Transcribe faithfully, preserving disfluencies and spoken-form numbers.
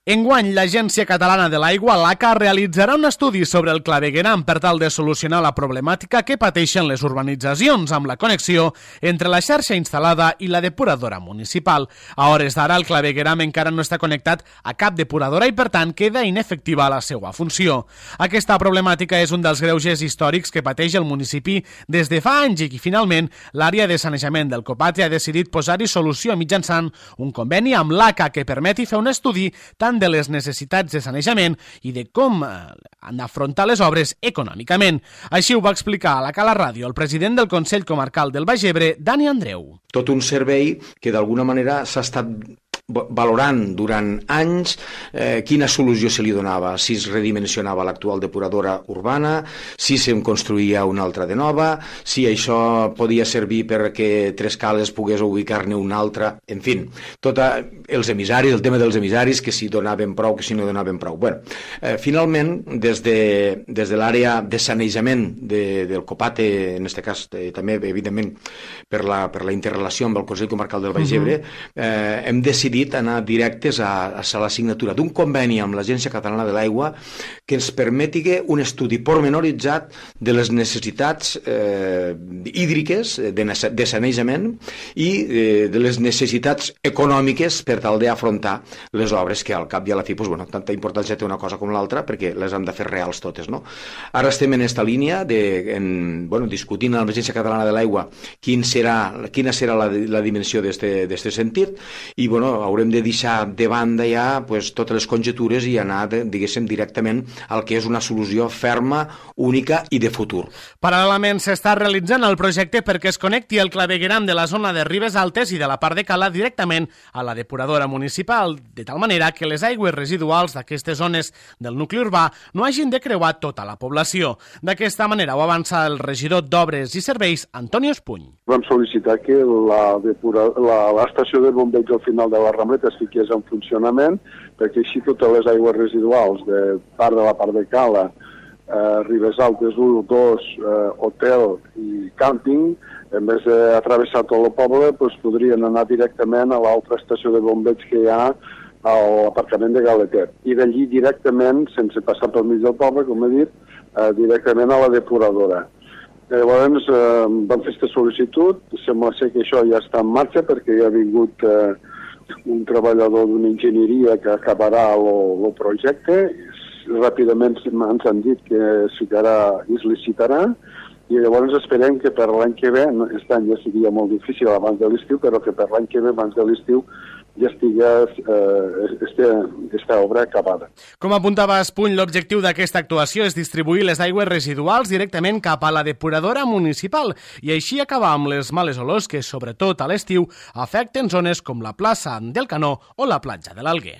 Enguany, l'Agència Catalana de l'Aigua, l'A C A, realitzarà un estudi sobre el clavegueram per tal de solucionar la problemàtica que pateixen les urbanitzacions amb la connexió entre la xarxa instal·lada i la depuradora municipal. A hores d'ara, el clavegueram encara no està connectat a cap depuradora i, per tant, queda inefectiva la seva funció. Aquesta problemàtica és un dels greuges històrics que pateix el municipi des de fa anys i que, finalment, l'àrea de sanejament del Copate ha decidit posar-hi solució mitjançant un conveni amb l'A C A que permeti fer un estudi tant de les necessitats de sanejament i de com han d'afrontar les obres econòmicament. Així ho va explicar a la Cala Ràdio el president del Consell Comarcal del Baix Ebre, Dani Andreu. Tot un servei que d'alguna manera s'ha estat valorant durant anys eh, quina solució se li donava, si es redimensionava l'actual depuradora urbana, si se'n construïa una altra de nova, si això podia servir perquè Trescales pogués ubicar-ne una altra, en fi, tots els emissaris, el tema dels emissaris, que si donaven prou, que si no donaven prou. Bueno, eh, finalment, des de, des de l'àrea de sanejament de, del Copate, en aquest cas eh, també, evidentment, per la, per la interrelació amb el Consell Comarcal del Baix Ebre, eh, hem decidit anar directes a, a la signatura d'un conveni amb l'Agència Catalana de l'Aigua que ens permeti un estudi pormenoritzat de les necessitats eh, hídriques, de, de sanejament i eh, de les necessitats econòmiques per tal d'afrontar les obres que al cap i a la fi, pues, bueno, tanta importància té una cosa com l'altra perquè les hem de fer reals totes, no? Ara estem en aquesta línia de, en, bueno, discutint amb l'Agència Catalana de l'Aigua quin serà, quina serà la, la dimensió d'aquest sentit i, bueno, haurem de deixar de banda ja pues, totes les conjetures i anar, diguéssim, directament al que és una solució ferma, única i de futur. Paral·lelament s'està realitzant el projecte perquè es connecti el clavegueram de la zona de Ribes Altes i de la part de Cala directament a la depuradora municipal, de tal manera que les aigües residuals d'aquestes zones del nucli urbà no hagin de creuar tota la població. D'aquesta manera ho avança el regidor d'Obres i Serveis, Antoni Espuny. Vam sol·licitar que la depura, la, l'estació de bombeig al final de la Rambleta es fiqués en funcionament, perquè així totes les aigües residuals de part de la part de Cala, eh, Ribes Altes u, dos, eh, hotel i càmping, en vez d'atravessar tot el poble, pues, podrien anar directament a l'altra estació de bombeig que hi ha a l'aparcament de Galetet. I d'allí directament, sense passar pel mig del poble, com he dit, eh, directament a la depuradora. Llavors eh, vam fer aquesta sol·licitud, sembla ser que això ja està en marxa perquè hi ha vingut eh, un treballador d'una enginyeria que acabarà el projecte, ràpidament ens han dit que es ficarà i es licitarà, i llavors esperem que per l'any que ve, aquest any ja seria molt difícil abans de l'estiu, però que per l'any que ve, abans de l'estiu, ja estigués eh, aquesta obra acabada. Com apuntava Espuny, l'objectiu d'aquesta actuació és distribuir les aigües residuals directament cap a la depuradora municipal i així acabar amb les males olors que, sobretot a l'estiu, afecten zones com la plaça del Canó o la platja de l'Alguer.